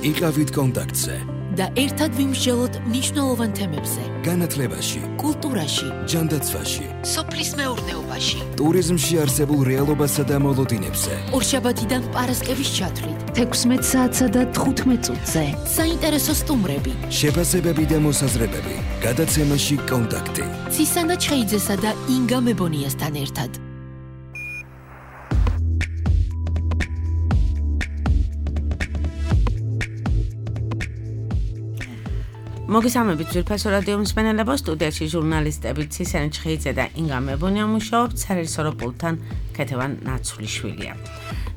იყავით კონტაქტზე და ერთად ვიმსჯელოთ მნიშვნელოვან თემებზე. განათლებაში, კულტურაში, ჯანდაცვაში, სოფლის მეურნეობაში, ტურიზმში არსებულ რეალობასა და მოლოდინებზე. ორშაბათიდან პარასკევის ჩათვლით, 16 საათსა და 15 წუთზე. საინტერესო სტუმრები, შეფასებები და მოსაზრებები. გადაცემაში კონტაქტი. ცისანა ჩხეიძესა და ინგა მებონიასთან ერთად. მოგესალმებით ძვირფასო რადიო მსმენელებო, სტუდიაში ჟურნალისტები ცისანა ჩხეიძე და ინგა მებონია მუშაობთ, სარეჟისორო პულტთან ქეთევან ნაცვლიშვილია.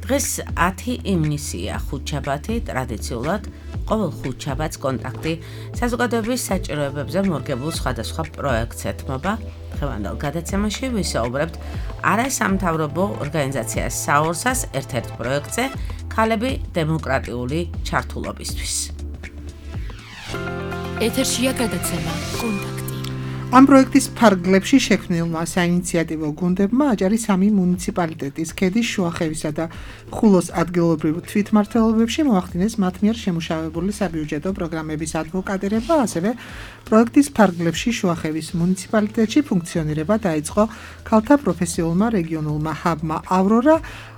დღეს 10 ივნისია, ხუთშაბათი, ტრადიციულად ყოველ ხუთშაბათს კონტაქტი საზოგადოების საჭიროებებზე მორგებულ სხვადასხვა პროექტს ეთმობა. დღევანდელ გადაცემაში ვისაუბრებთ არასამთავრობო ორგანიზაცია საორსას ერთ-ერთ პროექტზე ქალები დემოკრატიული ჩართულობისთვის. ეთერშია გადაცემა კონტაქტი. ამ პროექტის ფარგლებში შექმნილმა საინიციატივო გუნდებმა აჭარის 3 მუნიციპალიტეტის ქედის, შუახევისა და ხულოს ადგილობრივ თვითმმართველობებში მოახდინეს მათ მიერ შემუშავებული საბიუჯეტო პროგრამების ადვოკატირება, ასევე პროექტის ფარგლებში შუახევის მუნიციპალიტეტში ფუნქციონირება დაიწყო ქალთა პროფესიულმა რეგიონულმა ჰაბმა ავრორა.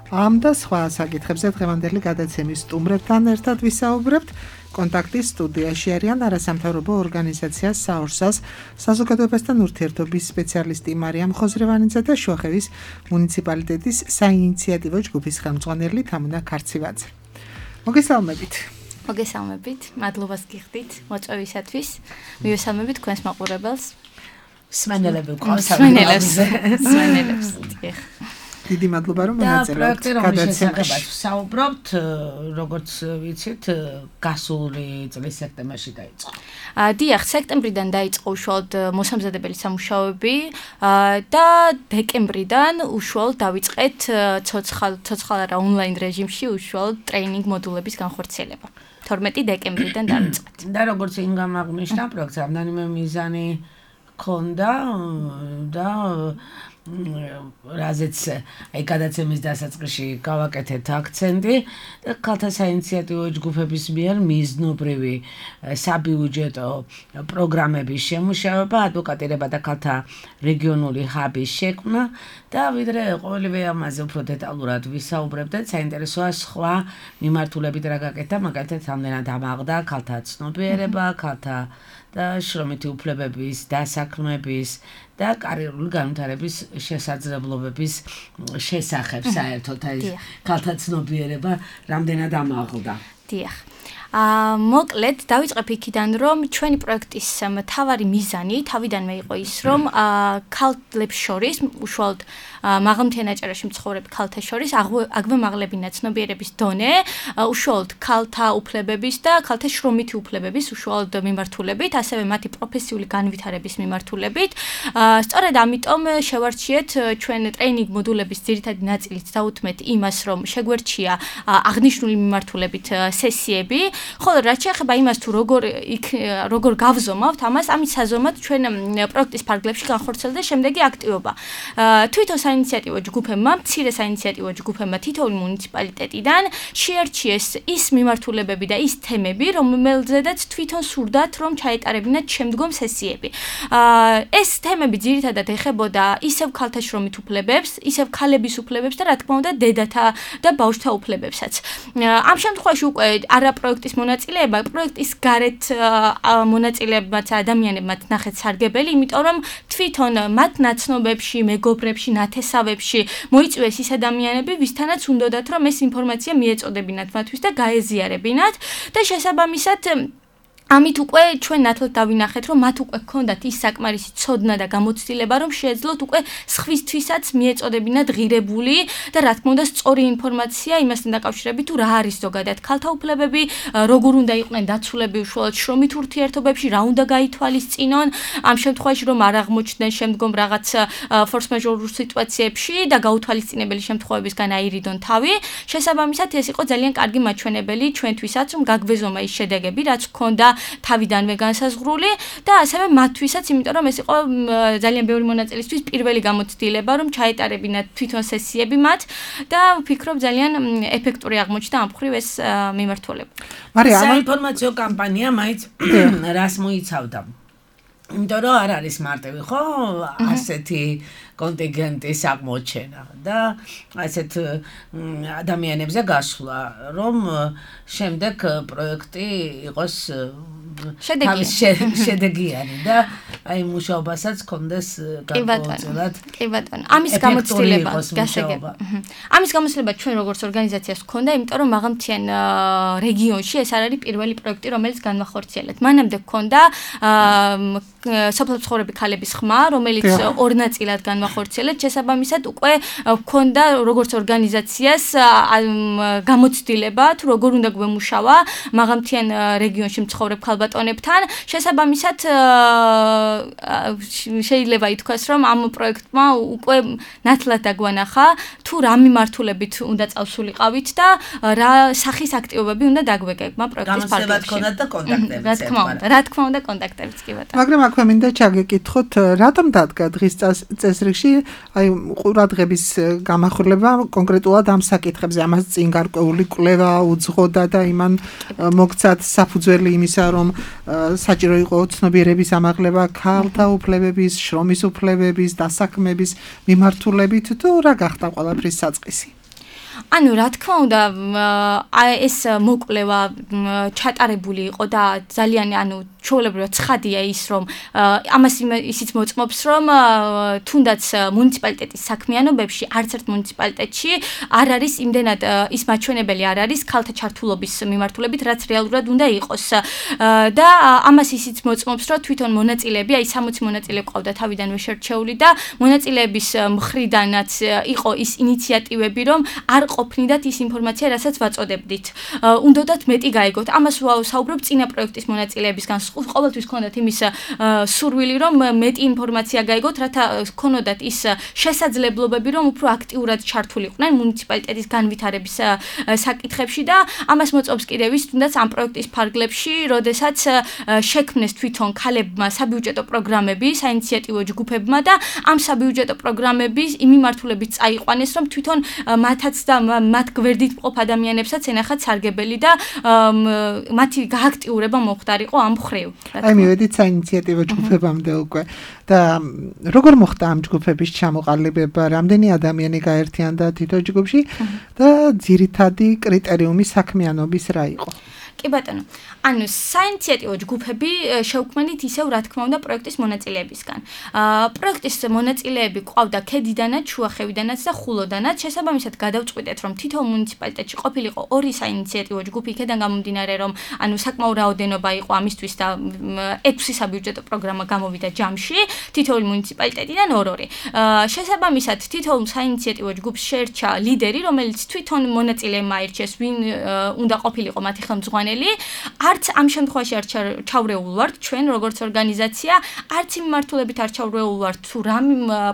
ამ და სხვა საკითხებზე დღევანდელი გადაცემის სტუმრებთან ერთად ვისაუბრებთ. კონტაქტის სტუდიაში არიან არასამთავრობო ორგანიზაცია საორსას საზოგადოებასთან ურთიერთობის სპეციალისტი მარიამ ხოზრევანიძე და შუახევის მუნიციპალიტეტის საინიციატივო ჯგუფის ხელმძღვანელი თამუნა ქარცივაძე. მოგესალმებით. მოგესალმებით, მადლობას გიხდით მოწვევისათვის. მივესალმებით თქვენს მაყურებელს. სმენელები სმენელებს. დიდი მადლობა რომ მონაწილეობთ გადაცემაში. საუბრობთ, როგორც ვიცით, გასული წლის სექტემბერში დაიწყო. დიახ, სექტემბრიდან დაიწყო უშუალოდ მოსამზადებელი სამუშაოები და დეკემბრიდან უშუალოდ დავიწყეთ ცოცხალ არა ონლაინ რეჟიმში უშუალოდ ტრეინინგ მოდულების განხორციელება. 12 დეკემბრიდან დავიწყეთ. და როგორც ინგამ აღნიშნა, პროექტს რამდენიმე მიზანი ქონდა და რაზეც აი გადაცემის დასაწყისში გავაკეთეთ აქცენტი და ქალთა საინიციატივო ჯგუფების მიერ მიზნობრივი საბიუჯეტო პროგრამების შემუშავება, ადვოკატირება და ქალთა რეგიონული ჰაბის შექმნა და ვიდრე ყოველივე ამაზე უფრო დეტალურად ვისაუბრებდეთ, საინტერესოა სხვა მიმართულებით რა გაკეთდა, მაგალითად რამდენად ამაღლდა ქალთა ცნობიერება, ქალთა და შრომითი უფლებების, დასაქმების და კარიერული განვითარების შესაძლებლობების შესახებ საერთოდ აი ქალთა ცნობიერება რამდენად ამაღლდა. დიახ. მოკლედ დავიწყებ იქიდან, რომ ჩვენი პროექტის მთავარი მიზანი თავიდანვე იყო ის, რომ ქალებს შორის, უშუალოდ მაღალმთიან აჭარაში მცხოვრებ ქალთა შორის აგვემაღლებინა ცნობიერების დონე, უშუალოდ ქალთა უფლებების და ქალთა შრომითი უფლებების უშუალოდ მიმართულებით, ასევე მათი პროფესიული განვითარების მიმართულებით. სწორედ ამიტომ შევარჩიეთ ჩვენ ტრეინინგ მოდულების ძირითადი ნაწილით დაუთმეთ იმას, რომ შეგვერჩია აღნიშნული მიმართულებით სესიები. ხოლო რაც შეეხება იმას თუ როგორ გავზომავთ ამას, ამის საზომად ჩვენ პროექტის ფარგლებში განხორციელდა შემდეგი აქტივობა. თვითონ საინიციატივო ჯგუფებმა, მცირე საინიციატივო ჯგუფებმა თითოეული მუნიციპალიტეტიდან შეარჩიეს ის მიმართულებები და ის თემები, რომელზედაც თვითონ სურდათ, რომ ჩაეტარებინათ შემდგომ სესიები. ეს თემები ძირითადად ეხებოდა ისევ ქალთა შრომით უფლებებს, ისევ ქალების უფლებებს და რა თქმა უნდა დედათა და ბავშვთა უფლებებსაც. ამ შემთხვევაში უკვე არა პროექტის მონაწილეება, პროექტის გარეთ მონაწილეებმაც ადამიანებმაც ნახეთ სარგებელი, იმიტომ რომ თვითონ მათ ნაცნობებში, მეგობრებში, ნათესავებში მოიწვიეს ის ადამიანები, ვისთანაც უნდათ რომ ეს ინფორმაცია მიეწოდებინათ მათთვის და გაეზიარებინათ და შესაბამისად ამით უკვე ჩვენ ნათლად დავინახეთ, რომ მათ უკვე ჰქონდათ ის საკმარისი ცოდნა და გამოცდილება, რომ შეეძლოთ უკვე სხვისთვისაც მიეწოდებინათ ღირებული და რა თქმა უნდა სწორი ინფორმაცია იმასთან დაკავშირებით, თუ რა არის ზოგადად ქალთა უფლებები, როგორ უნდა იყვნენ დაცულები უშუალოდ შრომით ურთიერთობებში, რა უნდა გაითვალისწინონ, ამ შემთხვევაში რომ არ აღმოჩნდნენ შემდგომ რაღაც ფორს-მაჟორულ სიტუაციებში და გაუთვალისწინებელი შემთხვევებისგან აირიდონ თავი. შესაბამისად ეს იყო ძალიან კარგი მაჩვენებელი ჩვენთვისაც, რომ გაგვეზომა ის შედეგები, რაც ჰქონდა თავიდანვე განსაზღვრული და ასევე მათთვისაც, იმიტომ რომ ეს იყო ძალიან ბევრი მონაწილისთვის პირველი გამოცდილება, რომ ჩაეტარებინათ თვითონ სესიები მათ და ვფიქრობ ძალიან ეფექტური აღმოჩნდა ამ მხრივ ეს მიმართულება. საინფორმაციო კამპანია მაინც რას მოიცავდა? იმიტომ რომ არ არის მარტივი ხო ასეთი კონტინგენტის აღმოჩენა და ასეთ ადამიანებზე გასვლა, რომ შემდეგ პროექტი იყოს შედეგიანი და აი მუშაობასაც კონდეს გარკვეულწილად. კი ბატონო. ამის გამოცდილება გასაგებია. ამის გამოცდილება ჩვენ როგორც ორგანიზაციას გქონდა, იმიტომ რომ მაღალმთიან რეგიონში ეს არ არის პირველი პროექტი, რომელიც განვახორციელეთ. მანამდე გქონდა სოფლმცხოვრები ქალების ხმა, რომელიც ორ ნაწილად განვახორციელეთ, შესაბამისად უკვე გქონდა როგორც ორგანიზაციას გამოცდილება, თუ როგორ უნდა გვემუშავა მაღალმთიან რეგიონში მცხოვრებ ქალბატონებთან. შესაბამისად შეიძლება ითქვას, რომ ამ პროექტმა უკვე ნათლად დაგვანახა, თუ რა მიმართულებით უნდა წავსულიყავით და რა სახის აქტივობები უნდა დაგვეკებმა პროექტის ფარგლებში. გამოცდილება და კონტაქტებიც. რა თქმა უნდა, კონტაქტებიც კი ბატონო. მაგრამ აქვე მინდა ჩაგეკითხოთ, რატომ დადგა დღის წესრიგში აი ყურადღების გამახვილება კონკრეტულად ამ საკითხებზე, ამას წინ გარკვეული კვლევა უძღოდა და იმან მოგცათ საფუძველი იმისა, რომ საჭირო იყო ცნობიერების ამაღლება ქალთა უფლებების, შრომის უფლებების, დასაქმების მიმართულებით თუ რა გახდა ყველაფრის საწყისი? ანუ რა თქმა უნდა ეს მოკვლევა ჩატარებული იყო და ძალიან ჩვეულებრივად ცხადია ის რომ ამას ისიც მოწმობს რომ თუნდაც მუნიციპალიტეტის საქმიანობებში არც ერთ მუნიციპალიტეტში არ არის იმდენად ის მაჩვენებელი არ არის ქალთა ჩართულობის მიმართულებით რაც რეალურად უნდა იყოს და ამას ისიც მოწმობს რომ თვითონ მონაწილეები აი 60 მონაწილე ყავდა თავიდანვე შერჩეული და მონაწილეების მხრიდანაც იყო ის ინიციატივები რომ არ ყოფნიდათ ის ინფორმაცია რასაც ვაწოდებდით უნდათ მეტი გაიგოთ ამას ვსაუბრობ წინა პროექტის მონაწილეებისგან ყოველთვის ქონდათ იმის სურვილი რომ მეტი ინფორმაცია გაიგოთ რათა ქონოდათ ის შესაძლებლობები რომ უფრო აქტიურად ჩართულიყვნენ მუნიციპალიტეტის განვითარების საკითხებში და ამას მოწმობს კიდევ ის თუნდაც ამ პროექტის ფარგლებში როდესაც შექმნეს თვითონ ქალებმა საბიუჯეტო პროგრამები საინიციატივო ჯგუფებმა და ამ საბიუჯეტო პროგრამების იმ მიმართულებით წაიყვანეს რომ თვითონ მათაც და მათ გვერდით მყოფ ადამიანებსაც ენახათ სარგებელი და მათი გააქტიურება მოხდარიყო ამ მხრივ. აი მივედით საინიციატივო ჯგუფებამდე უკვე და როგორ მოხდა ამ ჯგუფების ჩამოყალიბება, რამდენი ადამიანი გაერთიანდა თითო ჯგუფში და ძირითადი კრიტერიუმი საქმიანობის რა იყო? კი ბატონო. ანუ საინიციატივო ჯგუფები შეუქმნით ისევ რა თქმა უნდა პროექტის მონაწილეებისგან. პროექტის მონაწილეები ყავდა ქედიდანაც, შუახევიდანაც და ხულოდანაც. შესაბამისად გადავწყვიტეთ რომ თითოეულ მუნიციპალიტეტში ყოფილიყო ორი საინიციატივო ჯგუფი, იქედან გამომდინარე რომ ანუ საკმაო რაოდენობა იყო ამისთვის და 6 საბიუჯეტო პროგრამა გამოვიდა ჯამში, თითოეულ მუნიციპალიტეტიდან ორ-ორი. შესაბამისად თითოეულ საინიციატივო ჯგუფს შეერჩა ლიდერი, რომელიც თვითონ მონაწილეებმა აირჩიეს, ვინ უნდა ყოფილიყო მათი ხელმძღვანელი. არც ამ შემთხვევაში არ ჩავრეულ ვართ ჩვენ როგორც ორგანიზაცია, არც იმ მიმართულებით არ ჩავრეულ ვართ თუ რა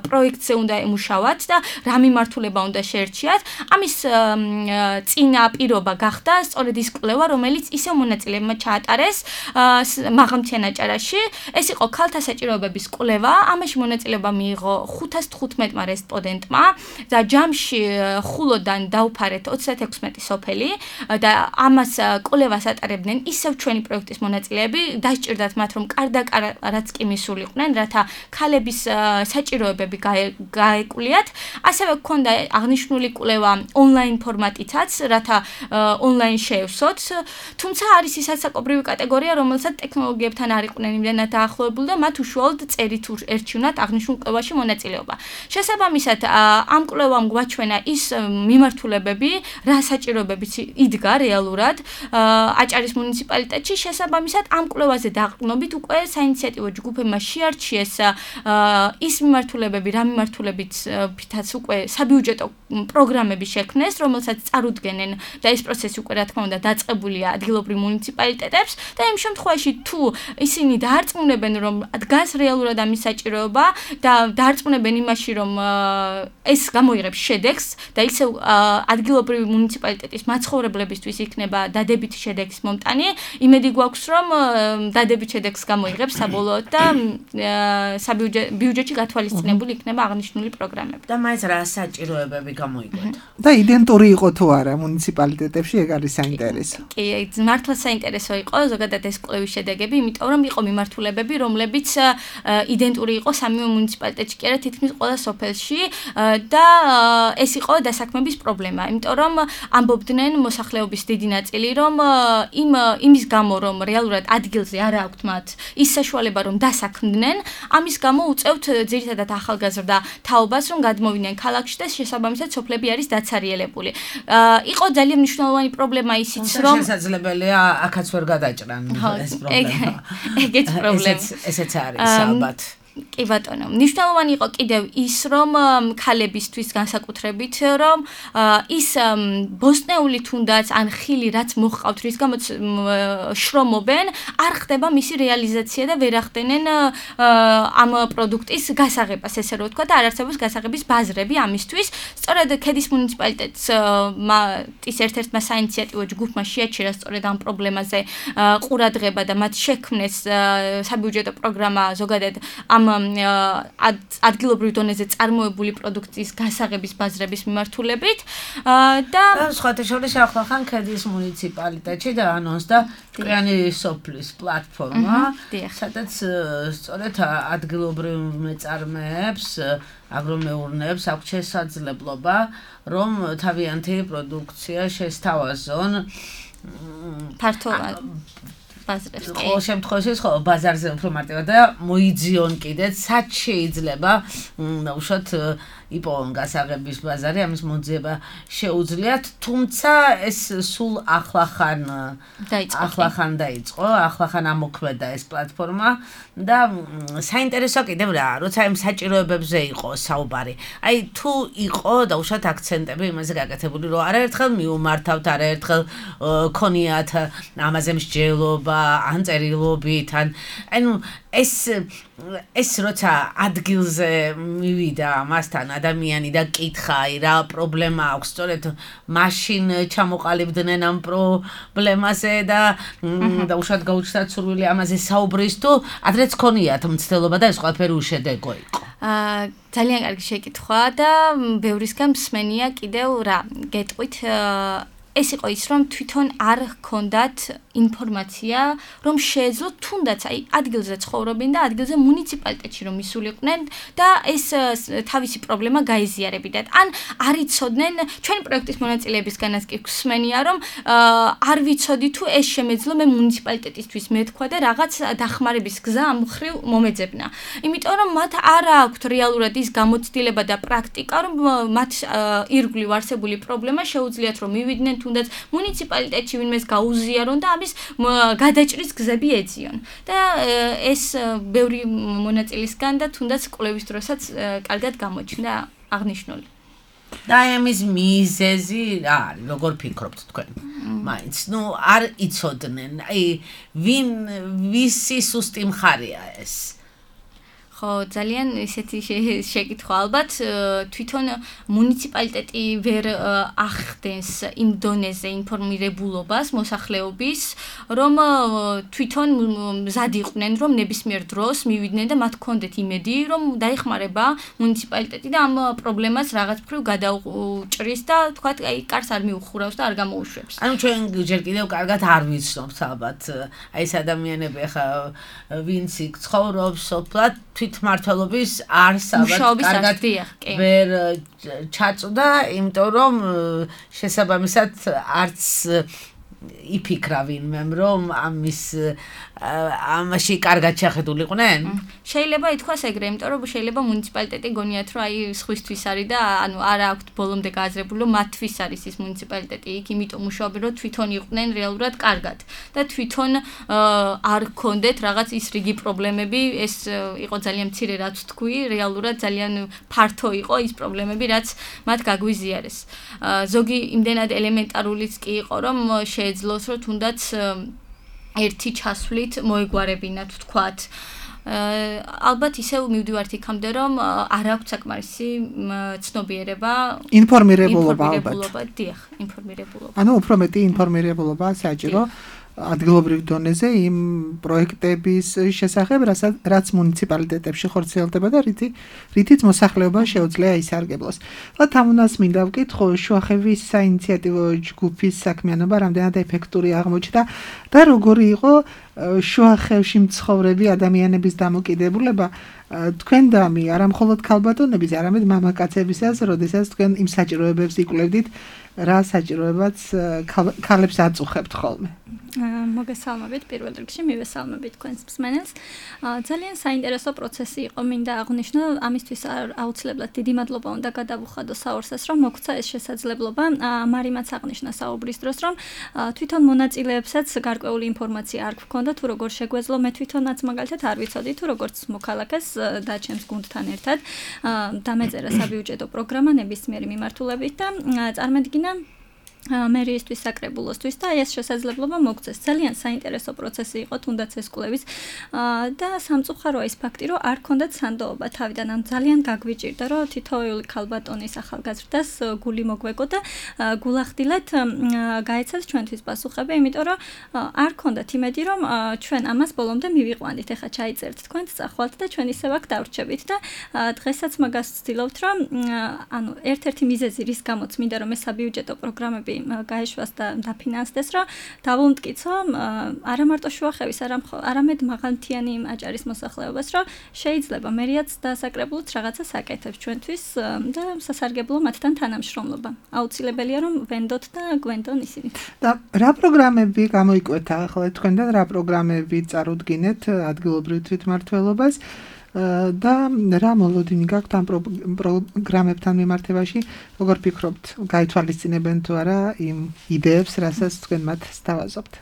პროექტზე უნდა ემუშავათ და რა მიმართულება უნდა შეერჩიათ. ამის წინა პირობა გახდა სწორედ ის კვლევა, რომელიც ისევ მონაწილეებმა ჩაატარეს მაღალმთიან აჭარაში. ეს იყო ქალთა საჭიროებების კვლევა. ამაში მონაწილეობა მიიღო 515-მა რესპონდენტმა და ჯამში ხულოდან დაუფარეთ 36 სოფელი და ამას კვლევას ატარებდნენ ისევ ჩვენი პროექტის მონაწილეები, დასჭირდათ მათ რომ კარდაკარ რაც კი მისულიყვნენ, რათა ქალების საჭიროებები გაეკულიათ. ასევე გქონდა აღნიშნული კვლევა ონლაინ ფორმატითაც, რათა ონლაინ შეევსოთ. თუმცა არის ის საკობრივი კატეგორია, რომელსაც ტექნოლოგიებთან არ იყვნენ იმდენად დაახლოებული და მათ უშუალოდ წერით ერჩივნათ აღნიშნულ კვლევაში მონაწილეობა. შესაბამისად, ამ კვლევამ გვაჩვენა ის მიმართულებები, რა საჭიროებებიც იდგა რეალურად აჭარის მუნიციპალიტეტში. შესაბამისად, ამ კვლევაზე დაყრდნობით უკვე საინიციატივო ჯგუფებმა შეარჩიეს ის მიმართულებები, რა მიმართულებითაც უკვე საბიუჯეტო პროგრამები შექმნეს, რომელსაც წარუდგენენ და ეს პროცესი უკვე რა თქმა უნდა დაწყებულია ადგილობრივ მუნიციპალიტეტებს და იმ შემთხვევაში თუ ისინი დაარწმუნებენ რომ დგას რეალურად ამის საჭიროება და დაარწმუნებენ იმაში რომ ეს გამოიღებს შედეგს და ისევ ადგილობრივი მუნიციპალიტეტის მაცხოვრებლებისთვის იქნება დადებითი შედეგის მომტანი. იმედი გვაქვს, რომ დადებით შედეგს გამოიღებს საბოლოოდ და ბიუჯეტში გათვალისწინებული იქნება აღნიშნული პროგრამები. და მაინც რა საჭიროებები გამოიკვეთა? და იდენტური იყო თუ არა მუნიციპალიტეტებში, ეგ არის საინტერესო. კი, მართლა საინტერესო იყო ზოგადად ეს კვლევის შედეგები, იმიტომ რომ იყო მიმართულებები, რომლებიც იდენტური იყო სამივე მუნიციპალიტეტში, კი არა თითქმის ყველა სოფელში და ეს იყო დასაქმების პრობლემა, იმიტომ რომ ამბობდნენ მოსახლეობის დიდი ნაწილი, რომ იმის გამო, რომ რეალურად ადგილზე არ აქვთ მათ ის საშუალება, რომ დასაქმდნენ, ამის გამო უწევთ ძირითადად ახალგაზრდა თაობას, რომ გადმოვიდნენ ქალაქში და შესაბამისად სოფლები არის დაცარიელებული. იყო ძალიან მნიშვნელოვანი პრობლემა ისიც, რომ შესაძლებელია აქაც ვერ გადაჭრან ეს პრობლემა. ეგეც პრობლემა. ესეც არის ალბათ. კი ბატონო, მნიშვნელოვანი იყო კიდევ ის, რომ ქალებისთვის განსაკუთრებით, რომ ის ბოსტნეული თუნდაც ან ხილი რაც მოჰყავთ, რის გამოც შრომობენ, არ ხდება მისი რეალიზაცია და ვერ ახდენენ ამ პროდუქტის გასაღებას, ესე რომ ვთქვა და არ არსებობს გასაღების ბაზრები ამისთვის. სწორედ ქედის მუნიციპალიტეტს ის ერთ-ერთმა საინიციატივო ჯგუფმა შეაჩერა სწორედ ამ პრობლემაზე ყურადღება და მათ შექმნეს საბიუჯეტო პროგრამა ზოგადად ამ ადგილობრივ დონეზე წარმოებული პროდუქციის გასაღების ბაზრების მიმართულებით და სხვათა შორის ახლახან ქედის მუნიციპალიტეტში დაანონსდა ჭკვიანი სოფლის პლატფორმა, სადაც სწორედ ადგილობრივ მეწარმეებს, აგრომეურნეებს აქვს შესაძლებლობა, რომ თავიანთი პროდუქცია შესთავაზონ ფართო ბაზრებს. ყოველ შემთხვევაში ბაზარზე უფრო მარტივად და მოიძიონ კიდეც, სად შეიძლება უშოთ იპოვონ გასაღების ბაზარი, ამის მოძიება შეუძლიათ, თუმცა ეს სულ ახლახან დაიწყო, ახლახან ამოქმედა ეს პლატფორმა და საინტერესო კიდევ რა, როცა იმ საჭიროებებზე იყო საუბარი. აი თუ იყო და უშოთ აქცენტები იმაზე გაკეთებული, რომ არაერთხელ მიუმართავთ, არაერთხელ ქონიათ ამაზე მსჯელობა, ან წერილობით, ანუ ეს როცა ადგილზე მივიდა მასთან ადამიანი და კითხა, რა პრობლემა აქვს, სწორედ მაშინ ჩამოყალიბდნენ ამ პრობლემაზე და უშუალოდ გაუჩნდათ სურვილი ამაზე საუბრის თუ ადრეც ქონიათ მცდელობა და ეს ყველაფერი უშედეგო იყო. ძალიან კარგი შეკითხვა და ბევრისგან მსმენია კიდევ რა გეტყვით ეს იყო ის, რომ თვითონ არ ჰქონდათ ინფორმაცია, რომ შეეძლოთ თუნდაც აი ადგილზე ცხოვრობენ და ადგილზე მუნიციპალიტეტში რომ ისულიყვნენ და ეს თავისი პრობლემა გაიზიარებინათ. ან არ იცოდნენ, ჩვენი პროექტის მონაწილეებისგანაც კი გვსმენია, რომ არ ვიცოდი თუ ეს შემეძლო მე მუნიციპალიტეტისთვის მეთქვა და რაღაც დახმარების გზა ამ მხრივ მომეძებნა. იმიტომ რომ მათ არ აქვთ რეალურად ის გამოცდილება და პრაქტიკა, რომ მათ ირგვლივ არსებული პრობლემა შეუძლიათ რომ მივიდნენ თუნდაც მუნიციპალიტეტში ვინმეს გაუზიარონ და ამის გადაჭრის გზები ეძიონ. და ეს ბევრი მონაწილისგან და თუნდაც კვლევის დროსაც კარგად გამოჩნდა აღნიშნული. და ამის მიზეზი რა არის, როგორ ფიქრობთ თქვენ? მაინც, არ იცოდნენ, აი ვისი სუსტი მხარეა ეს? ხო, ძალიან ისეთი შეკითხვა ალბათ თვითონ მუნიციპალიტეტი ვერ ახდენს იმ დონეზე ინფორმირებულობას მოსახლეობის, რომ თვითონ მზად იყვნენ, რომ ნებისმიერ დროს მივიდნენ და მათ ჰქონდეთ იმედი, რომ დაეხმარება მუნიციპალიტეტი და ამ პრობლემას რაღაც მხრივ გადაუჭრის და თქვათ, აი კარს არ მიუხურავს და არ გამოუშვებს. ანუ ჩვენ ჯერ კიდევ კარგად არ ვიცნობთ ალბათ, აი ეს ადამიანები ახლა ვინც იქ ცხოვრობს, სოფლად თვითმმართველობის არს ალბათ კარგად ვერ ჩაწვდა, იმიტომ რომ შესაბამისად არც იფიქრა ვინმე, რომ ამაში კარგად შეხედულიყვნენ? შეიძლება ითქვას ეგრე, იმიტომ რომ შეიძლება მუნიციპალიტეტი გონიათ, რომ აი სხვისთვის არის და ანუ არ აქვთ ბოლომდე გააზრებული, რომ მათთვის არის ის მუნიციპალიტეტი იქ, იმიტომ მუშაობენ, რომ თვითონ იყვნენ რეალურად კარგად და თვითონ არ ჰქონდეთ რაღაც ის რიგი პრობლემები, ეს იყო ძალიან მცირე რაც თქვი, რეალურად ძალიან ფართო იყო ის პრობლემები, რაც მათ გაგვიზიარეს. ზოგი იმდენად ელემენტარულიც კი იყო, რომ შეეძლოს, რომ თუნდაც ერთი ჩასვლით მოეგვარებინათ, ვთქვათ. ალბათ ისევ მივდივართ იქამდე, რომ არ აქვს საკმარისი ცნობიერება, ინფორმირებულობა ალბათ. დიახ, ინფორმირებულობა. ანუ უფრო მეტი ინფორმირებულობა საჭირო ადგილობრივ დონეზე იმ პროექტების შესახებ, რაც მუნიციპალიტეტებში ხორციელდება და რითიც მოსახლეობა შეუძლია ისარგებლოს. და თამუნას მინდა ვკითხო, შუახევის საინიციატივო ჯგუფის საქმიანობა რამდენად ეფექტური აღმოჩნდა და როგორი იყო შუახევში მცხოვრები ადამიანების დამოკიდებულება თქვენდამი, არა მხოლოდ ქალბატონების, არამედ მამაკაცებისაც, როდესაც თქვენ იმ საჭიროებებს იკვლევდით, რა საჭიროებაც ქალებს აწუხებთ ხოლმე. მოგესალმებით პირველ რიგში, მივესალმებით თქვენს მსმენელს. ძალიან საინტერესო პროცესი იყო, მინდა აღვნიშნო, ამისთვის აუცილებლად დიდი მადლობა უნდა გადავუხადო საორსას, რომ მოგცა ეს შესაძლებლობა. მარიმაც აღნიშნა საუბრის დროს, რომ თვითონ მონაწილეებსაც გარკვეული ინფორმაცია არ გქონდა თუ როგორ შეგვეძლო, მე თვითონაც მაგალითად არ ვიცოდი თუ როგორც მოქალაქეს და ჩემს გუნდთან ერთად დამეწერა საბიუჯეტო პროგრამა ნებისმიერი მიმართულებით და წარმოვიდგინა მერიისთვის საკრებულოსთვის და ეს შესაძლებლობა მოგცეს. ძალიან საინტერესო პროცესი იყო, თუნდაც ეს კვლევის და სამწუხაროა ის ფაქტი, რომ არ ქონდათ სანდოობა თავიდან, ან ძალიან გაგვიჭირდა, რომ თითოეული ქალბატონის ახალგაზრდას გული მოგვეგო და გულახდილად გაეცათ ჩვენთვის პასუხები, იმიტომ რომ არ ქონდათ იმედი, რომ ჩვენ ამას ბოლომდე მივიყვანით. ეხლა ჩაიწერთ თქვენც წახვალთ და ჩვენ ისევ აქ დავრჩებით და დღესაც მაგას ვცდილობთ, რომ ანუ ერთ-ერთი მიზეზი რის გამოც მინდა რომ ეს საბიუჯეტო პროგრამები გაეშვას და დაფინანსდეს, რომ დავუმტკიცო არა მარტო შუახევის, არამედ მაღალმთიანი აჭარის მოსახლეობას, რომ შეიძლება მერიაც დასაკრებულოთ რაღაცა საკეთებს ჩვენთვის და სასარგებლო მათთან თანამშრომლობა. აუცილებელია რომ ვენდოთ და გვენდონ ისინი. და რა პროგრამები გამოიკვეთა ახლა თქვენთან, რა პროგრამები წარუდგინეთ ადგილობრივ თვითმმართველობას? და რა მოლოდინი გაქვთ ამ პროგრამებთან მიმართებაში, როგორ ფიქრობთ, გაითვალისწინებენ თუ არა იმ იდეებს, რასაც თქვენ მათ სთავაზობთ?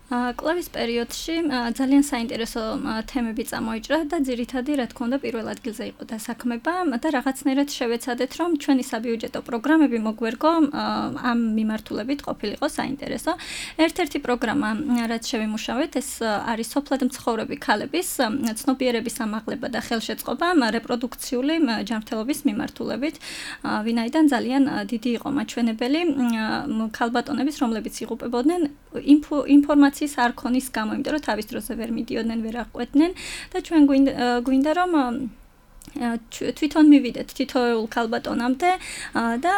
კვლევის პერიოდში ძალიან საინტერესო თემები წამოიჭრა და ძირითადად, რა თქმა უნდა, პირველ ადგილზე იყო დასაქმება და რაღაცნაირად შევეცადეთ, რომ ჩვენი საბიუჯეტო პროგრამები მოგვერგო ამ მიმართულებით ყოფილიყო საინტერესო. ერთ-ერთი პროგრამა, რაც შევიმუშავეთ, ეს არის სოფლად მცხოვრები ქალების ცნობიერების ამაღლება და ხელშეწყობა რეპროდუქციული ჯანმრთელობის მიმართულებით, ვინაიდან ძალიან დიდი იყო მაჩვენებელი ქალბატონების, რომლებიც იღუპებოდნენ ინფორმაციის არ ქონის გამო, იმიტომ რომ თავის დროზე ვერ მიდიოდნენ, ვერ აღკვეთდნენ და ჩვენ გვინდა რომ თვითონ მივიდეთ თითოეულ ქალბატონამდე და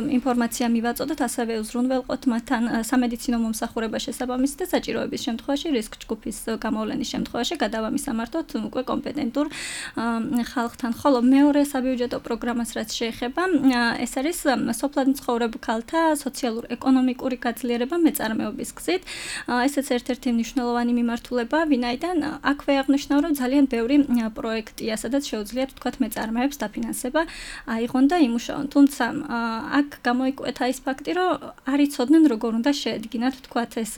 ინფორმაცია მივაწოდოთ, ასევე უზრუნველყოთ მათთან სამედიცინო მომსახურება შესაბამისი და საჭიროების შემთხვევაში, რისკ ჯგუფის გამოვლენის შემთხვევაში გადავამისამართოთ უკვე კომპეტენტურ ხალხთან. ხოლო მეორე საბიუჯეტო პროგრამას რაც შეეხება, ეს არის სოფლად მცხოვრებ ქალთა სოციალურ-ეკონომიკური გაძლიერება მეწარმეობის გზით. ესეც ერთ-ერთი მნიშვნელოვანი მიმართულება, ვინაიდან აქვე აღნიშნავ, რომ ძალიან ბევრი პროექტია, სადაც შეუძლია თქვათ მეწარმეებს დაფინანსება აიღონ და იმუშაონ. თუმცა აქ გამოიკვეთა ის ფაქტი, რომ არ იცოდნენ როგორ უნდა შეედგინათ თქვათ ეს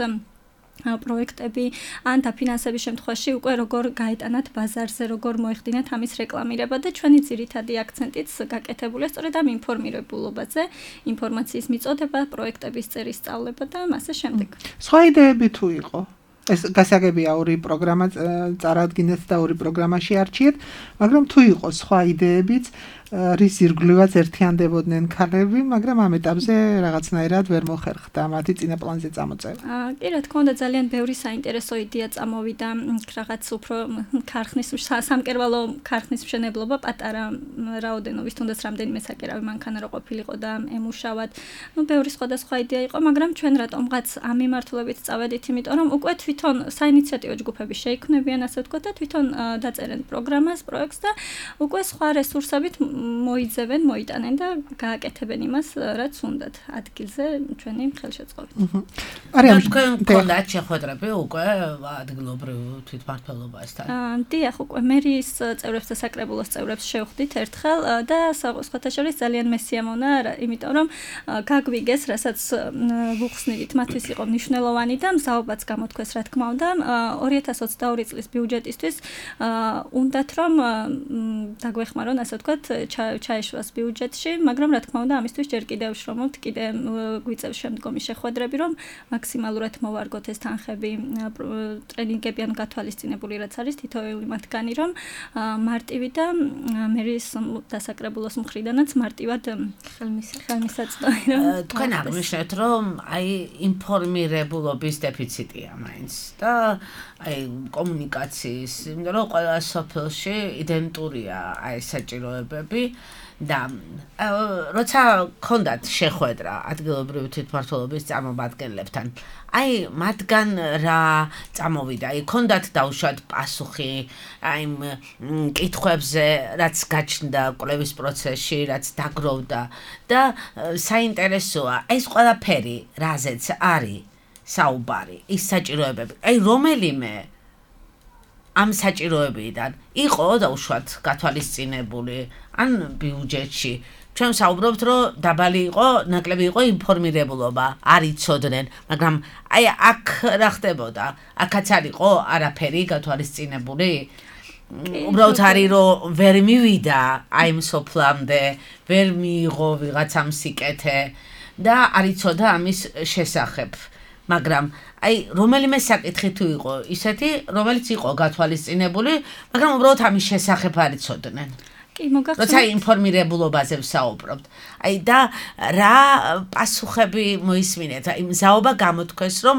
პროექტები ან დაფინანსების შემთხვევაში უკვე როგორ გაეტანათ ბაზარზე, როგორ მოეხდინათ ამის რეკლამირება და ჩვენი ძირითადი აქცენტიც გაკეთებულია სწორედ ამ ინფორმირებულობაზე, ინფორმაციის მიწოდება, პროექტების წერის სწავლება და ასე შემდეგ. სხვა იდეები თუ იყო? ეს გასაგებია ორი პროგრამა წარადგინეთ და ორი პროგრამაში არჩიეთ, მაგრამ თუ იყო სხვა იდეებიც, რის ირგვლივაც ერთიანდებოდნენ ქალები, მაგრამ ამ ეტაპზე რაღაცნაირად ვერ მოხერხდა მათი წინაპლანზე წამოწევა. კი, რა თქმა უნდა, ძალიან ბევრი საინტერესო იდეა წამოვიდა, რაღაც უფრო ქარხნის სამკერვალო ქარხნის მშენებლობა პატარა რაოდენობის, თუნდაც რამდენიმე საკერავი მანქანა რო ყოფილიყო და ემუშავად. ბევრი სხვადასხვა იდეა იყო, მაგრამ ჩვენ რატომღაც ამ მიმართულებით წავედით, იმიტომ რომ უკვე თვითონ საინიციატივო ჯგუფები შეიქმნებიან, ასე ვთქვათ, და თვითონ დაწერენ პროგრამას, პროექტს და უკვე სხვა რესურსებით მოიძებენ, მოიტანენ და გააკეთებენ იმას, რაც უნდათ ადგილზე ჩვენი ხელშეწყობით. არიან თქვენ გქონდათ შეხვედრები უკვე ადგილობრივ თვითმმართველობასთან? დიახ, უკვე მერიის წევრებს და საკრებულოს წევრებს შევხვდით ერთხელ და სხვათა შორის ძალიან მესიამონა, იმიტომ რომ გაგვიგეს, რასაც ვუხსნით, მათთვის იყო მნიშვნელოვანი და მზაობაც გამოთქვეს, რა თქმა უნდა 2022 წლის ბიუჯეტისთვის უნდათ რომ დაგვეხმარონ ასე ვთქვათ ჩაეშვას ბიუჯეტში, მაგრამ რა თქმა უნდა ამისთვის ჯერ კიდევ შრომობთ, კიდე გვიწევს შემდგომი შეხვედრები, რომ მაქსიმალურად მოვარგოთ ეს თანხები ტრენინგები ან გათვალისწინებული რაც არის თითოეული მათგანი, რომ მარტივი და მერის დასაკრებულოს მხრიდანაც მარტივად ხელმისაწვდომი რომ თქვენ აღნიშნეთ რომ აი ინფორმირებულობის დეფიციტია მაინც და აი კომუნიკაციის, იმიტომ რომ ყველა სოფელში იდენტურია აი საჭიროებები და როცა გქონდათ შეხვედრა ადგილობრივი თვითმმართველობის წარმომადგენლებთან, აი მათგან რა წამოვიდა, აი გქონდათ დაუშვათ პასუხი აი კითხვებზე, რაც გაჩნდა კვლევის პროცესში, რაც დაგროვდა და საინტერესოა ეს ყველაფერი, რაზეც არის საუბარი, ის საჭიროებები, აი რომელიმე ამ საჭიროებიდან იყო დაუშვათ გათვალისწინებული ან ბიუჯეტში. ჩვენ საუბრობთ, რომ დაბალი იყო, ნაკლები იყო ინფორმირებულობა, არ იცოდნენ, მაგრამ აი აქ რა ხდებოდა? აქაც არ იყო არაფერი გათვალისწინებული? უბრალოდ არის, რომ ვერ მივიდა აი ამ სოფლამდე, ვერ მიიღო ვიღაცამ სიკეთე და არ იცოდა ამის შესახებ. მაგრამ აი რომელიმე საკითხი თუ იყო ისეთი, რომელიც იყო გათვალისწინებული, მაგრამ უბრალოდ ამის შესახებ არ იცოდნენ. კი, მოგახსოვთ. როცა ინფორმირებულობაზე ვსაუბრობთ. აი და რა პასუხები მოისმინეთ? აი მზაობა გამოთქვეს, რომ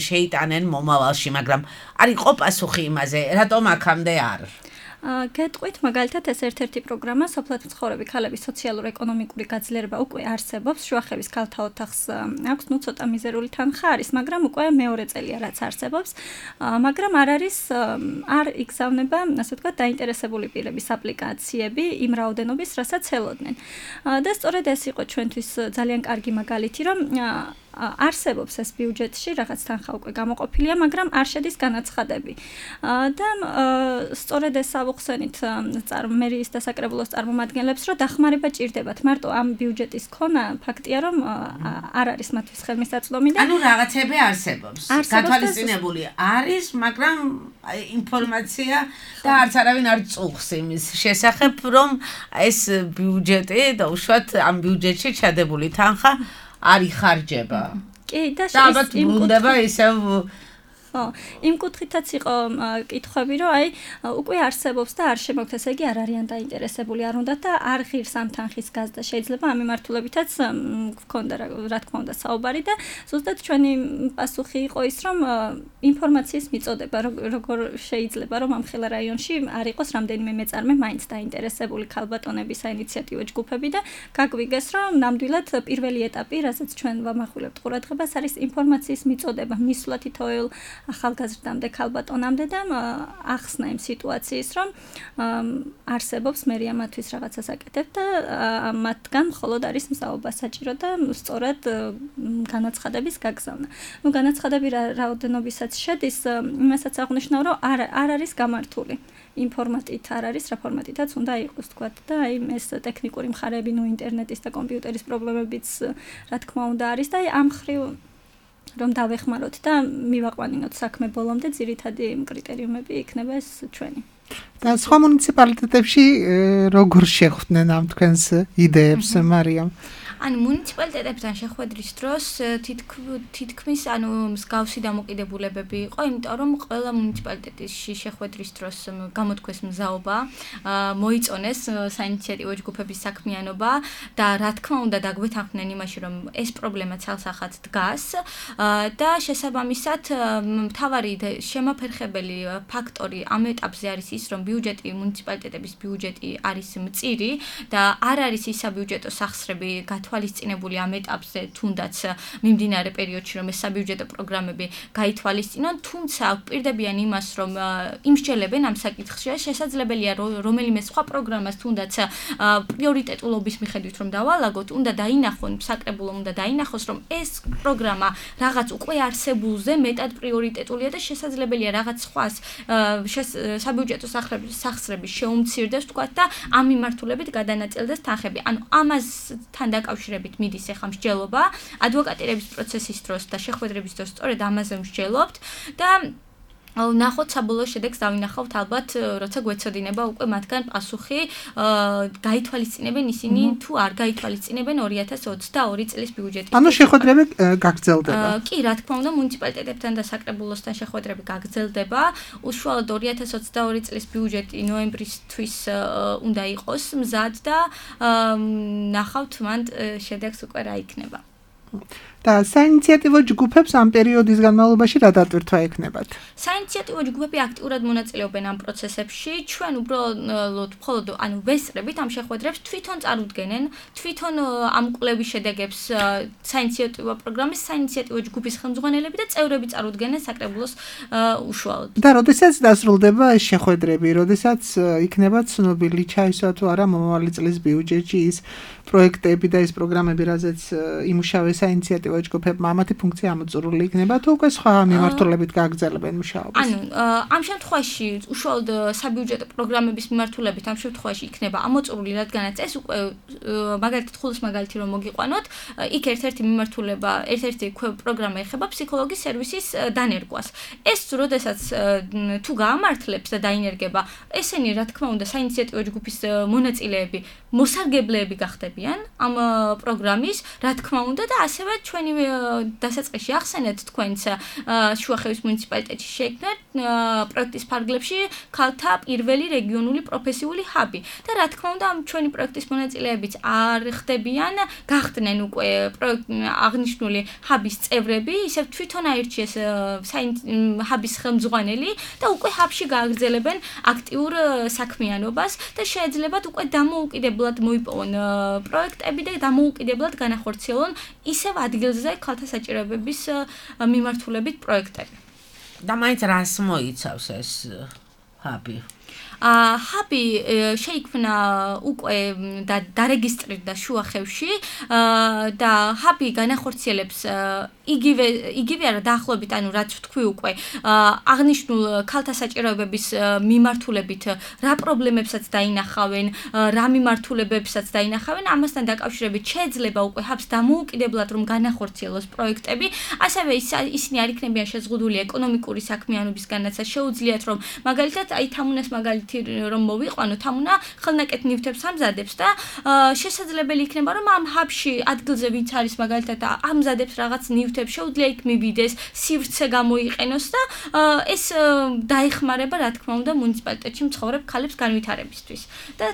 შეიტანენ მომავალში, მაგრამ არ იყო პასუხი იმაზე, რატომ აქამდე არ? გეტყვით მაგალითად ეს ერთ-ერთი პროგრამა სოფლად მცხოვრები ქალების სოციალურ-ეკონომიკური გაძლიერება უკვე არსებობს, შუახევის ქალთა ოთახს აქვს ცოტა მიზერული თანხა არის, მაგრამ უკვე მეორე წელია რაც არსებობს, მაგრამ არ იგზავნება, ასე ვთქვათ, დაინტერესებული პირების აპლიკაციები იმ რაოდენობის, რასაც ელოდნენ. და სწორედ ეს იყო ჩვენთვის ძალიან კარგი მაგალითი, რომ არსებობს ეს ბიუჯეტში, რაღაც თანხა უკვე გამოყოფილია, მაგრამ არ შედის განაცხადები. და სწორედ ეს ავუხსენით მერის დასაკრებულოს წარმომადგენლებს, რომ დახმარება ჭირდებათ. მარტო ამ ბიუჯეტის ქონა ფაქტია, რომ არ არის მათთვის ხელმისაწვდომი და ანუ რაღაცები არსებობს. გათვალისწინებული არის, მაგრამ ინფორმაცია და არც არავინ არ წუხს იმის შესახებ, რომ ეს ბიუჯეტი დაუშვათ ამ ბიუჯეტში ჩადებული თანხა არ იხარჯება. კი, და ალბათ ბრუნდება ისევ იმ კუთხითაც იყო კითხვები, რომ აი უკვე არსებობს და არ შემოგვთ, ესე იგი არ არიან დაინტერესებული, არ უნდათ და არ ღირს ამ თანხის გაზრდა. შეიძლება ამ მიმართულებითაც გქონდა რა თქმა უნდა საუბარი და ზუსტად ჩვენი პასუხი იყო ის, რომ ინფორმაციის მიწოდება, როგორ შეიძლება რომ ამ ხელა რაიონში არ იყოს რამდენიმე მეწარმე მაინც დაინტერესებული ქალბატონები, საინიციატივო ჯგუფები და გაგვიგეს, რომ ნამდვილად პირველი ეტაპი, რასაც ჩვენ ვამახვილებთ ყურადღებას, არის ინფორმაციის მიწოდება, მისვლა თითოეულ ახალგაზრდამდე ქალბატონამდე და ახსნა იმ სიტუაციის, რომ არსებობს მერია მათთვის რაღაცას აკეთებ და მათგან მხოლოდ არის მზაობა საჭირო და სწორად განაცხადების გაგზავნა. ნუ განაცხადები რაოდენობისაც შედის, იმასაც აღნიშნავ, რომ არ არის გამართული. იმ ფორმატით არ არის, რა ფორმატითაც უნდა იყოს, თქვათ და აი ეს ტექნიკური მხარეები, ნუ ინტერნეტის და კომპიუტერის პრობლემებიც რა თქმა უნდა არის და აი ამ ხრივ რომ დავეხმაროთ და მივაყვანინოთ საქმე ბოლომდე, ძირითადი კრიტერიუმები იქნება ეს ჩვენი. და სხვა მუნიციპალიტეტებში როგორ შეხვდნენ ამ თქვენს იდეებს, მარიამ? ანუ მუნიციპალიტეტებთან შეხვედრის დროს თითქმის ანუ მსგავსი დამოკიდებულებები იყო, იმიტომ რომ ყველა მუნიციპალიტეტში შეხვედრის დროს გამოთქვეს მზაობა, მოიწონეს საინიციატივო ჯგუფების საქმიანობა და რა თქმა უნდა დაგვეთანხმდნენ იმაში, რომ ეს პრობლემა ცალსახად დგას და შესაბამისად მთავარი შემაფერხებელი ფაქტორი ამ ეტაპზე არის ის, რომ ბიუჯეტი მუნიციპალიტეტების ბიუჯეტი არის მწირი და არ არის ის საბიუჯეტო სახსრები თვალისწინებული ამ ეტაპზე, თუნდაც მიმდინარე პერიოდში, რომ ეს საბიუჯეტო პროგრამები გაითვალისწინონ, თუმცა ვპირდებიან იმას, რომ იმსჯელებენ ამ საკითხში, შესაძლებელია რომელიმე სხვა პროგრამას თუნდაც პრიორიტეტულობის მიხედვით რომ დავალაგოთ, უნდა დაინახონ, საკრებულომ უნდა დაინახოს, რომ ეს პროგრამა რაღაც უკვე არსებულზე მეტად პრიორიტეტულია და შესაძლებელია რაღაც სხვას საბიუჯეტო სახსრების შეუმცირდეს, თქვათ და ამ მიმართულებით გადანაწილდეს თანხები. ანუ ამასთან დაკავშირებით მიდის ახლა მსჯელობა ადვოკატირების პროცესის დროს და შეხვედრების დროს სწორედ ამაზე მსჯელობთ და ნახოთ საბოლოო შედეგს დავინახავთ ალბათ როცა გვეცოდინება უკვე მათგან პასუხი გაითვალისწინებენ ისინი თუ არ გაითვალისწინებენ 2022 წლის ბიუჯეტის ანუ შეხვედრები გაგრძელდება კი რა თქმა უნდა მუნიციპალიტეტებთან და საკრებულოსთან შეხვედრები გაგრძელდება უშუალოდ 2022 წლის ბიუჯეტი ნოემბრისთვის უნდა იყოს მზად და ნახავთ მანდ შედეგს უკვე რა იქნება და საინიციატივო ჯგუფებს ამ პერიოდის განმავლობაში რა დატვირთვა ექნებათ? საინიციატივო ჯგუფები აქტიურად მონაწილეობენ ამ პროცესებში. ჩვენ უბრალოდ მხოლოდ ვესწრებით ამ შეხვედრებს, თვითონ წარუდგენენ, თვითონ ამ კვლევის შედეგებს საინიციატივო პროგრამის საინიციატივო ჯგუფის ხელმძღვანელები და წევრები წარუდგენენ საკრებულოს უშუალოდ. და როდესაც დასრულდება ეს შეხვედრები, როდესაც იქნება ცნობილი ჩაისვა თუ არა მომავალი წლის ბიუჯეტში ის პროექტები და ის პროგრამები, რაზეც იმუშავე საინიციატივო ჯგუფებმა ამათი ფუნქცია ამოწურული იქნება თუ უკვე სხვა მიმართულებით გააგრძელებენ მუშაობას? ანუ ამ შემთხვევაში უშუალოდ საბიუჯეტო პროგრამების მიმართულებით ამ შემთხვევაში იქნება ამოწურული, რადგანაც ეს უკვე მაგალითად ხულოს მაგალითი რომ მოგიყვანოთ, იქ ერთ-ერთი მიმართულება, ერთ-ერთი პროგრამა ეხება ფსიქოლოგის სერვისის დანერგვას. ეს როდესაც თუ გაამართლებს და დაინერგება, ესენი რა თქმა უნდა საინიციატივო ჯგუფის მონაწილეები, მოსარგებლეები გახდებიან ამ პროგრამის, რა თქმა უნდა და ასევე ჩვენი დასაწყისში ახსენეთ თქვენც შუახევის მუნიციპალიტეტში შეიქმნა პროექტის ფარგლებში ქალთა პირველი რეგიონული პროფესიული ჰაბი და რა თქმა უნდა ამ ჩვენი პროექტის მონაწილეებიც არ ხდებიან, გახდნენ უკვე აღნიშნული ჰაბის წევრები, ისევ თვითონ აირჩიეს ჰაბის ხელმძღვანელი და უკვე ჰაბში გააგრძელებენ აქტიურ საქმიანობას და შეეძლებათ უკვე დამოუკიდებლად მოიპოვონ პროექტები და დამოუკიდებლად განახორციელონ ისევ ადგილზე ქალთა საჭიროებების მიმართულებით პროექტები. და მაინც რას მოიცავს ეს ჰაბი? ჰაბი შეიქმნა უკვე და დარეგისტრირდა შუახევში და ჰაბი განახორციელებს იგივე არა დაახლოებით, ანუ რაც ვთქვი უკვე, აღნიშნულ ქალთა საჭიროებების მიმართულებით რა პრობლემებსაც დაინახავენ, რა მიმართულებებსაც დაინახავენ, ამასთან დაკავშირებით შეეძლება უკვე ჰაბს დამოუკიდებლად რომ განახორციელოს პროექტები, ასევე ისინი არ იქნებიან შეზღუდული ეკონომიკური საქმიანობისგანაც, შეუძლიათ რომ მაგალითად აი თამუნას მაგალითი რომ მოვიყვანო, თამუნა ხელნაკეთ ნივთებს ამზადებს და შესაძლებელი იქნება რომ ამ ჰაბში ადგილზე ვინც არის მაგალითად ამზადებს რაღაც ნივთებს შეუძლია იქ მივიდეს, სივრცე გამოიყენოს და ეს დაეხმარება რა თქმა უნდა მუნიციპალიტეტში მცხოვრებ ქალებს განვითარებისთვის. და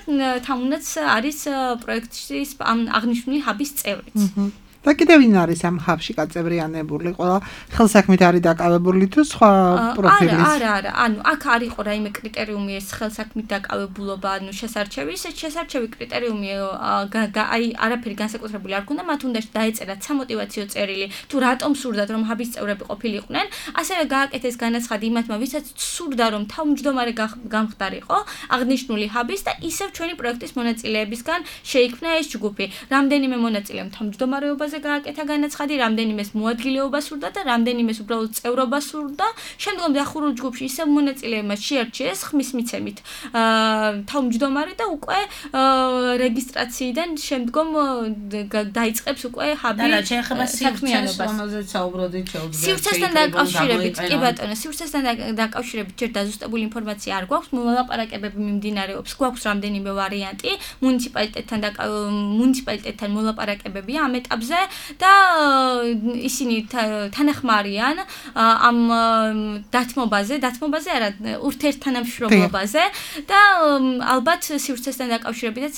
თამუნაც არის პროექტის ამ აღნიშნული ჰაბის წევრიც. და კიდევ ვინ არის ამ ჰაბში გაწევრიანებული? ყველა ხელსაქმით არის დაკავებული თუ სხვა პროფილის? არა, ანუ აქ არ იყო რაიმე კრიტერიუმი ეს ხელსაქმით დაკავებულობა, ანუ შესარჩევი, ეს შესარჩევი კრიტერიუმი აი არაფერი განსაკუთრებული არ ქონდა, მათ უნდა დაეწერათ სამოტივაციო წერილი, თუ რატომ სურდათ რომ ჰაბის წევრები ყოფილიყვნენ, ასევე გააკეთეს განაცხადი იმათმა, ვისაც სურდა რომ თავმჯდომარე გამხდარიყო აღნიშნული ჰაბის და ისევ ჩვენი პროექტის მონაწილეებისგან შეიქმნა ეს ჯგუფი. რამდენიმე მონაწილემ თავმჯდომარეობაზე გააკეთა განაცხადი, რამდენიმეს მოადგილეობა სურდა და რამდენიმეს უბრალოდ წევრობა სურდა. შემდგომ დახურულ ჯგუფში ისევ მონაწილეებმა შეარჩიეს ხმის მიცემით თავმჯდომარე და უკვე რეგისტრაციიდან შემდგომ დაიწყებს უკვე ჰაბი საქმიანობას. სივრცესთან დაკავშირებით, კი ბატონო, სივრცესთან დაკავშირებით ჯერ დაზუსტებული ინფორმაცია არ გვაქვს, მოლაპარაკებები მიმდინარეობს, გვაქვს რამდენიმე ვარიანტი, მუნიციპალიტეტთან მოლაპარაკებებია ამ ეტაპზე და ისინი თანახმარიან ამ დათმობაზე არა ურთიერთთანამშრომლობაზე და ალბათ სივრცესთან დაკავშირებითაც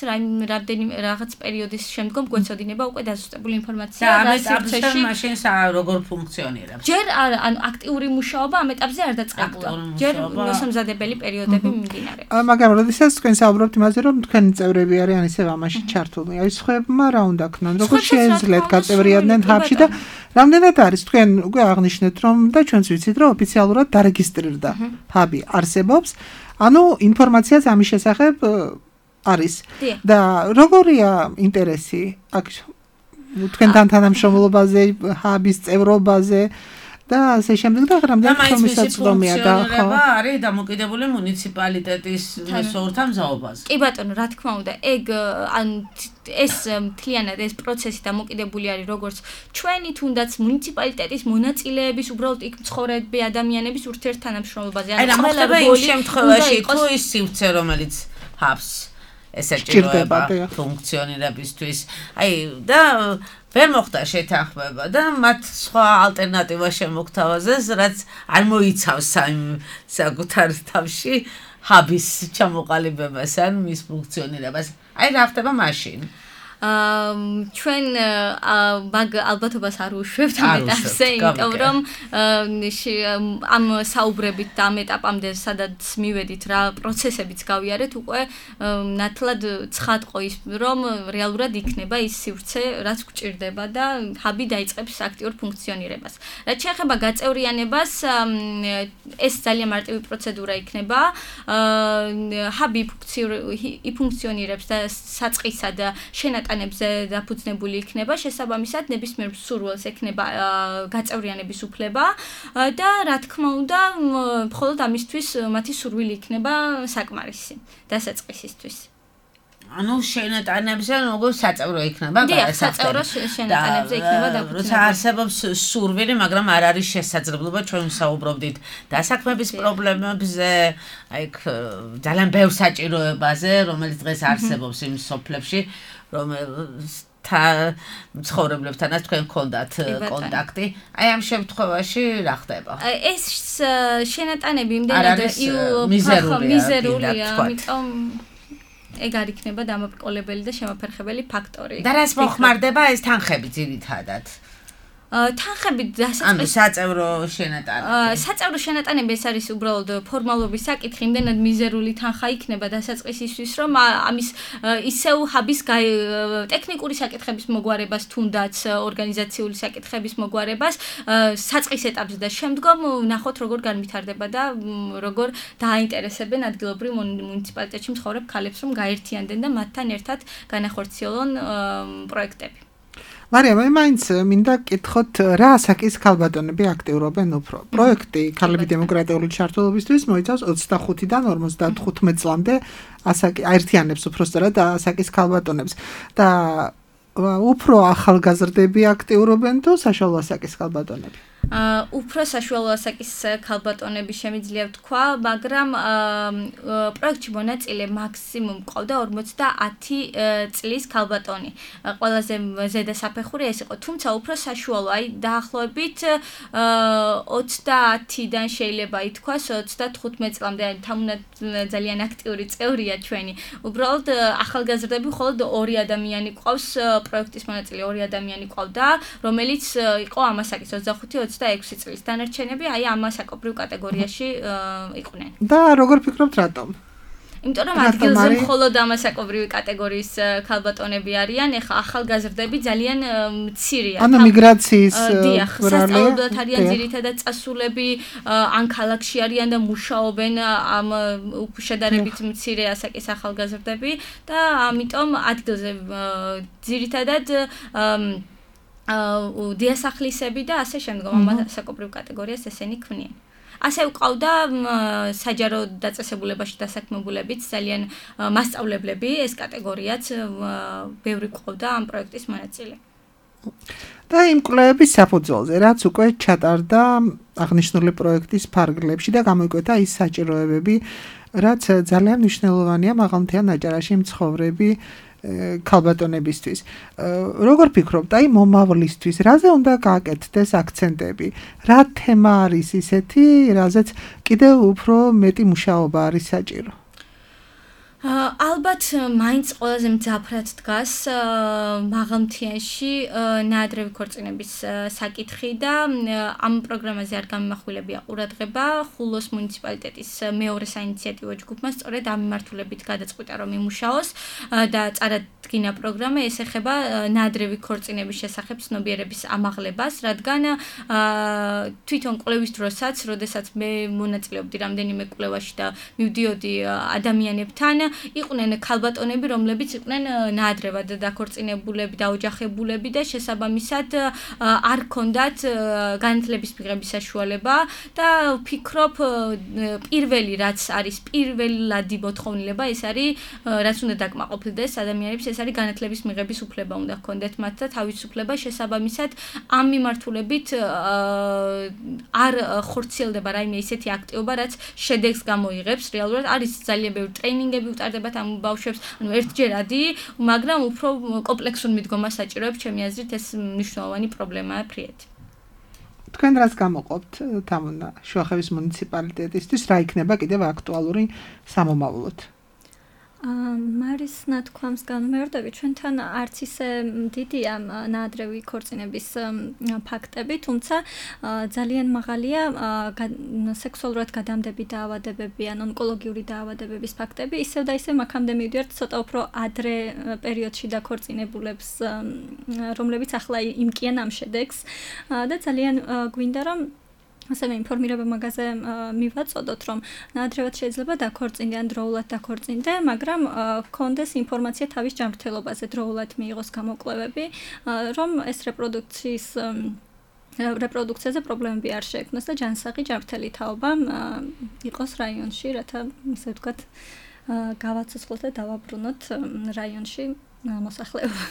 რამდენიმე რაღაც პერიოდის შემდგომ გვეცოდინება უკვე დაზუსტებული ინფორმაცია და ამ ეტაპზე მაშინ როგორ ფუნქციონირებს? ჯერ არა, ანუ აქტიური მუშაობა ამ ეტაპზე არ დაწყებულა. ჯერ მოსამზადებელი პერიოდები მიმდინარეობს. მაგრამ როდესაც თქვენ საუბრობთ იმაზე, რომ თქვენი წევრები არიან ისევ ამაში ჩართული, აი სხვებმა რა უნდა ქნან, როგორ შეეძლიათ გაწევრიანდნენ ჰაბში და რამდენად არის თქვენ უკვე აღნიშნეთ რომ და ჩვენც ვიცით რომ ოფიციალურად დარეგისტრირდა ჰაბი არსებობს, ანუ ინფორმაციაც ამის შესახებ არის და როგორია ინტერესი აქ თქვენთან თანამშრომლობაზე, ჰაბის წევრობაზე და ასე შემდეგ და რამდენი ხელმისაწვდომია და ხო არის დამოკიდებული მუნიციპალიტეტის სორთამზაობაზე. კი ბატონო, რა თქმა უნდა, ეგ ეს მთლიანად ეს პროცესი დამოკიდებული არის როგორც ჩვენი თუნდაც მუნიციპალიტეტის მონაწილეების უბრალოდ იქ მცხოვრები ადამიანების ურთიერთთანამშრომლობაზე. აი რა მოხდება იმ შემთხვევაში თუ ის სივრცე რომელიც ჰავს ესაჭიროება ფუნქციონირებისთვის. აი და ვერ მოხდა შეთანხმება და მათ სხვა ალტერნატივა შემოგთავაზეს, რაც არ მოიცავს იმ საკუთარ თავში ჰაბის ჩამოყალიბებას ან მის ფუნქციონირებას. აი რა ხდება მაშინ? ჩვენ მაგ ალბათობას არ უშვებთ ამ ეტაპზე, იმიტომ რომ ამ საუბრებით და ამ ეტაპამდე სადაც მივედით რა პროცესებიც გავიარეთ, უკვე ნათლად ცხადყო ის რომ რეალურად იქნება ის სივრცე, რაც გვჭირდება და ჰაბი დაიწყებს აქტიურ ფუნქციონირებას. რაც შეეხება გაწევრიანებას, ეს ძალიან მარტივი პროცედურა იქნება. ჰაბი იფუნქციონირებს და საწყისად შენატანებზე დაფუძნებული იქნება, შესაბამისად ნებისმიერ მსურველს ექნება გაწევრიანების უფლება და რა თქმა უნდა, მხოლოდ ამისთვის მათი სურვილი იქნება საკმარისი დასაწყისისთვის. ანუ შენატანებზე როგორ საწევრო იქნება გასაწევრო შენატანებზე იქნება დაფუძნებული. როცა არსებობს სურვილი, მაგრამ არ არის შესაძლებლობა, ჩვენ ვსაუბრობდით დასაქმების პრობლემებზე, აი ძალიან ბევრ საჭიროებაზე, რომელიც დღეს არსებობს იმ სოფლებში, რომელთა მცხოვრებლებთანაც თქვენ გქონდათ კონტაქტი. აი ამ შემთხვევაში რა ხდება? ეს შენატანები იმდენად მიზერულია, ამიტომ ეგ არ იქნება დამაბრკოლებელი და შემაფერხებელი ფაქტორი. და რას მოხმარდება ეს თანხები ძირითადად? თანხები დასაწყისად ანუ საწევრო შენატანები. საწევრო შენატანები ეს არის უბრალოდ ფორმალობის საკითხი, იმდენად მიზერული თანხა იქნება დასაწყისისთვის, რომ ამის ისევ ჰაბის ტექნიკური საკითხების მოგვარებას, თუნდაც ორგანიზაციული საკითხების მოგვარებას საწყის ეტაპზე და შემდგომ ნახოთ როგორ განვითარდება და როგორ დააინტერესებენ ადგილობრივ მუნიციპალიტეტში მცხოვრებ ქალებს, რომ გაერთიანდენ და მათთან ერთად განახორციელონ პროექტები. მარიამ, მაინც მინდა გკითხოთ, რა ასაკის ქალბატონები აქტიურობენ უფრო? პროექტი ქალები დემოკრატიული ჩართულობისთვის მოიცავს 25-დან 55 წლამდე აერთიანებს უბრალოდ ასაკის ქალბატონებს და უფრო ახალგაზრდები აქტიურობენ თუ საშუალო ასაკის ქალბატონები? უფრო საშუალო ასაკის ქალბატონები შემიძლია ვთქვა, მაგრამ პროექტში მონაწილე მაქსიმუმ ყავდა 50 წლის ქალბატონი. ყველაზე ზედა საფეხური ეს იყო, თუმცა უფრო საშუალო, აი დაახლოებით 30-დან შეიძლება ითქვას 35 წლამდე, თამუნად ძალიან აქტიური წევრია ჩვენი. უბრალოდ ახალგაზრდები მხოლოდ 2 ადამიანი ყავს პროექტის მონაწილე, 2 ადამიანი ყავდა, რომელიც იყო ამასაკის 25-26 წლის. დანარჩენები აი ამ საკობრივ კატეგორიაში იყვნენ. და როგორ ფიქრობთ რატომ? იმიტომ რომ ადგილზე მხოლოდ ამასაკობრივი კატეგორიის ქალბატონები არიან, ეხლა ახალგაზრდები ძალიან მცირეა. ანუ მიგრაციის სასწავლებლად არიან ძირითადად წასულები, ან ქალაქში არიან და მუშაობენ ამ შედარებით მცირე ასაკის ახალგაზრდები და ამიტომ ადგილზე ძირითადად დიასახლისები და ასე შემდგომ ამასაკობრივ კატეგორიას ესენი ქმნიან. ასე ვყავდა საჯარო დაწესებულებაში დასაქმებულებიც ძალიან მასწავლებლები, ეს კატეგორიაც ბევრი ყავდა ამ პროექტის მონაწილე. და იმ კვლევების საფუძველზე, რაც უკვე ჩატარდა აღნიშნული პროექტის ფარგლებში და გამოიკვეთა ის საჭიროებები, რაც ძალიან მნიშვნელოვანია მაღალმთიან აჭარაში მცხოვრები ქალბატონებისთვის. როგორ ფიქრობთ, აი მომავლისთვის, რაზე უნდა გააკეთდეს აქცენტები? რა თემა არის ისეთი, რაზეც კიდევ უფრო მეტი მუშაობა არის საჭირო? ალბათ მაინც ყველაზე მძაფრად დგას მაღალმთიანში ნაადრევი ქორწინების საკითხი და ამ პროგრამაზე არ გამიმახვილებია ყურადღება. ხულოს მუნიციპალიტეტის მეორე საინიციატივო ჯგუფმა სწორედ ამ მიმართულებით გადაწყვიტა რომ იმუშაოს და წარადგინა პროგრამა ეს ეხება ნაადრევი ქორწინების შესახებ ცნობიერების ამაღლებას, რადგან თვითონ კვლევის დროსაც, როდესაც მე მონაწილეობდი რამდენიმე კვლევაში და მივდიოდი ადამიანებთან იყვნენ ქალბატონები, რომლებიც იყვნენ ნაადრევად დაქორწინებულები, დაოჯახებულები და შესაბამისად არ ჰქონდათ განათლების მიღების საშუალება და ვფიქრობ პირველი რაც არის პირველადი მოთხოვნილება ეს არის რაც უნდა დაკმაყოფილდეს ადამიანებს ეს არის განათლების მიღების უფლება უნდა ჰქონდეთ მათ და თავისუფლება შესაბამისად ამ მიმართულებით არ ხორციელდება რაიმე ისეთი აქტივობა რაც შედეგს გამოიღებს რეალურად არის ძალიან ბევრი ტრეინინგები უტარდებათ ამ ბავშვებს ანუ ერთჯერადი მაგრამ უფრო კომპლექსურ მიდგომას საჭიროებს ჩემი აზრით ეს მნიშვნელოვანი პრობლემაა ფრიეთი თქვენ რაც გამოყოფთ თამუნა შუახევის მუნიციპალიტეტისთვის რა იქნება კიდევ აქტუალური სამომავლოდ მარის ნათქვამს განმეორდები ჩვენთან არც ისე დიდია ნაადრევი ქორწინების ფაქტები, თუმცა ძალიან მაღალია სექსუალურად გადამდები დაავადებები ან ონკოლოგიური დაავადებების ფაქტები, ისევ და ისევ აქამდე მივიდივართ ცოტა უფრო ადრე პერიოდში დაქორწინებულებს, რომლებიც ახლა იმკიან ამ შედეგს და ძალიან გვინდა რომ ასევე ინფორმირება მაგაზე მივაწოდოთ, რომ ნაადრევად შეიძლება დაქორწინდე, დროულად დაქორწინდე, მაგრამ ჰქონდეს ინფორმაცია თავის ჯანმრთელობაზე, დროულად მიიღოს გამოკვლევები, რომ ეს რეპროდუქციაზე პრობლემები არ შეექმნას და ჯანსაღი ჯანმრთელი თაობა იყოს რაიონში, რათა ისე ვთქვათ, გავაცოცხლოთ და დავაბრუნოთ რაიონში მოსახლეობა.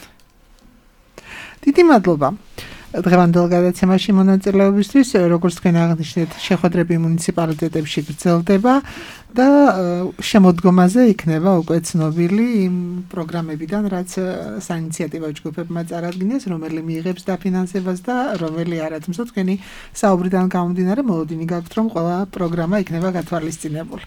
დიდი მადლობა. დღევანდელ გადაცემაში მონაწილეობისთვის, როგორც თქვენ აღნიშნეთ, შეხვედრები მუნიციპალიტეტებში გრძელდება და შემოდგომაზე იქნება უკვე ცნობილი იმ პროგრამებიდან, რაც საინიციატივო ჯგუფებმა წარადგინეს, რომელი მიიღებს დაფინანსებას და რომელი არა. თუმცა თქვენი საუბრიდან გამომდინარე, მოლოდინი გაქვთ, რომ ყველა პროგრამა იქნება გათვალისწინებული.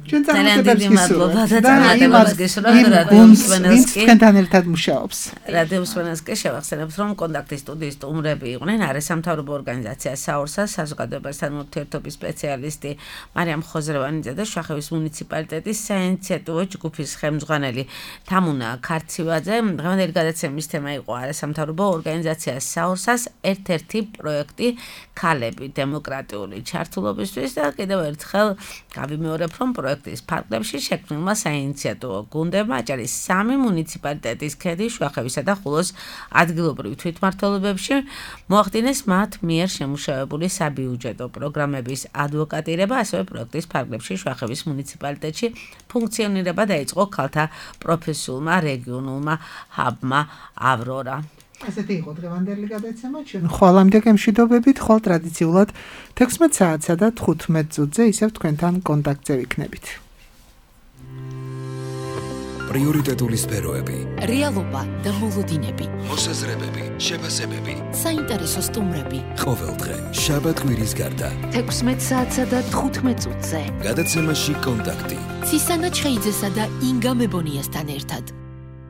ძალიან დიდი მადლობა და ძალიან მადლობა რადიოსვენელსკი თქვენთან ერთად მუშაობს. რადიოსვენელსკი შევახსენებთ რომ კონტაქტი სტუდიის სტუმრები იყვნენ არასამთავრობო ორგანიზაცია საორსას საზოგადოებასთან ურთიერთობის სპეციალისტი მარიამ ხოზრევანიძე და შუახევის მუნიციპალიტეტის საინიციატივო ჯგუფის ხელმძღვანელი თამუნა ქარცივაძე. დღევანდელი გადაცემის თემა იყო არასამთავრობო ორგანიზაცია საორსას ერთ-ერთი პროექტი ქალები დემოკრატიული ჩართულობისთვის და კიდევ ერთხელ გავიმეორებ რომ პროექტის ფარგლებში შექმნილმა საინიციატივო გუნდებმა აჭარის 3 მუნიციპალიტეტის ქედის, შუახევისა და ხულოს ადგილობრივ თვითმმართველობებში მოახდინეს მათ მიერ შემუშავებული საბიუჯეტო პროგრამების ადვოკატირება, ასევე პროექტის ფარგლებში შუახევის მუნიციპალიტეტში ფუნქციონირება დაიწყო ქალთა პროფესიულმა რეგიონულმა ჰაბმა ავრორა. ასეთი იყო დღევანდელი გადაცემა ჩვენ ხოლმე გემშვიდობებით ხოლ ტრადიციულად 16 საათსა და 15 წუთზე ისევ თქვენთან კონტაქტზე ვიქნებით. პრიორიტეტული სფეროები, რეალობა და მოლოდინები, მოსაზრებები, შეფასებები, საინტერესო სტუმრები. ყოველდღე შაბათ-კვირის გარდა 16 საათსა და 15 წუთზე. გადაცემაში კონტაქტი. ცისანა ჩხეიძესა და ინგა მებონიასთან ერთად.